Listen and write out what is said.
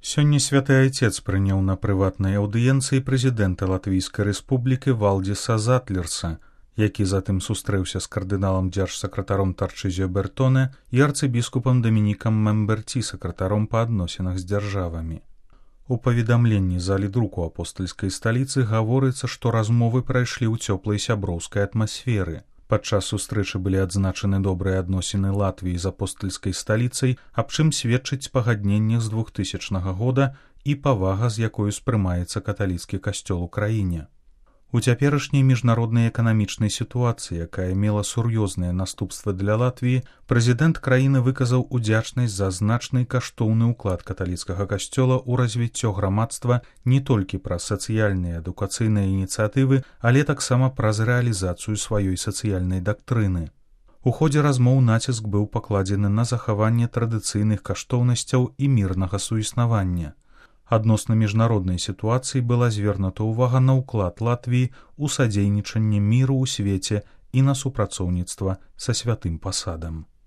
Сёння святы айцец прыняў на прыватнай аўдыенцыі прэзідэнта Латвійскай рэспублікі Валдіса Затлерса, які затым сустрэўся з кардыналам дзяржсакратаром Тарчызіо Бертоне і арцыбіскупам Дамінікам Мемберці, сакратаром па адносінах з дзяржавамі. У паведамленні залі друку апостальскай сталіцы гаворыцца, што размовы прайшлі ў цёплай сяброўскай атмасферы. Падчас сустрэчы былі адзначаны добрыя адносіны Латвіі з апостальскай сталіцай, аб чым сведчыць пагадненне з 2000 года і павага, з якой успрымаецца каталіцкі касцёл у краіне. У цяперашняй міжнароднай эканамічнай сітуацыі, якая мела сур'ёзныя наступствы для Латвіі, прэзідэнт краіны выказаў удзячнасць за значны каштоўны ўклад каталіцкага касцёла ў развіццё грамадства не толькі праз сацыяльныя адукацыйныя ініцыятывы, але таксама праз рэалізацыю сваёй сацыяльнай дактрыны. У ходзе размоў націск быў пакладзены на захаванне традыцыйных каштоўнасцяў і мірнага суіснавання. Адносна міжнароднай сітуацыі была звернута ўвага на ўклад Латвіі ў садзейнічанне міру ў свеце і на супрацоўніцтва са святым пасадам.